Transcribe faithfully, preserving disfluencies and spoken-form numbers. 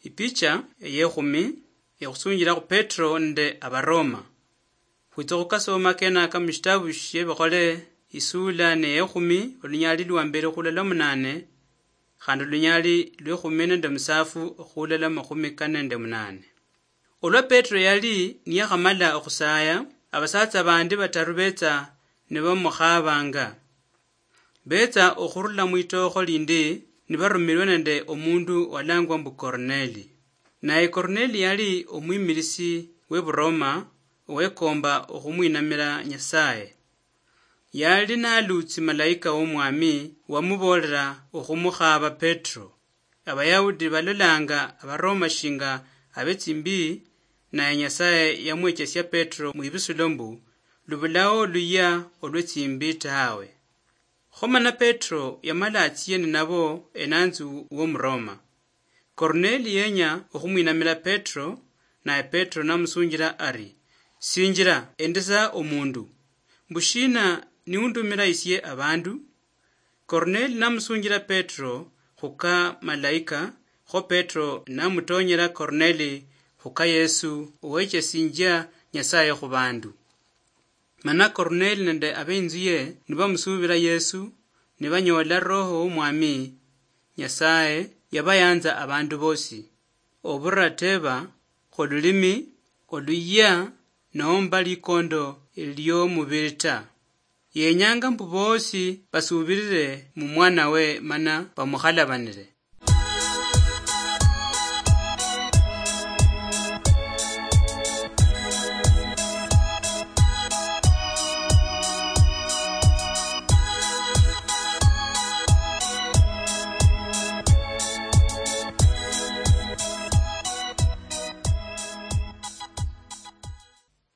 Ipicha eyekhumi ekhusunjilakho Petro nende Abaroma. Khwitsa khukasoma kenaka mushitabu shiebikhole, isula neyekhumi, olunyali lwambeli khulala munane, khandi olunyali lwekhumi nende musafu khulala makhumi kane nende munane. Olwa Petro yali niyakhamala okhusaya, abasatsa bandi bataru betsa nibamukhabanga. Betsa okhurula mwitookho lindi nibarumilwe nende omundu walangwa mbu Korneli. Naye Korneli yali omwimilisi weBuroma owekomba okhumwinamila Nyasaye. Yali nalutsi malaika womwami wamuboolera okhumukhaba Petro. Abayahudi balolanga Abaroma shinga abetsimbi, naye Nyasaye yamwechesia Petro mwibisulo mbu lubulao luyia olwetsimbi tawe. Kho mana Petro yamala atsie ninabo enanzu womuroma. Korneli yenya okhumwinamila Petro, naye Petro namusunjila ari, "Sinjila, endesa omundu. Mbushina niundumila isie abandu?" Korneli namusunjila Petro khuka malaika, kho Petro namutonyela Korneli khuka Yesu owechesinjia Nyasaye khubandu. Mana Korneli nende abeinzuye nibamusubila Yesu, nibanyoola Roho womwami. Nyasaye yabayanza abandu bosi, oburateba, khululimi, oluyia, nomba likondo liomubili ta. Yenyanga mbu bosi basubilile mumwanawe mana bamukhalabanile.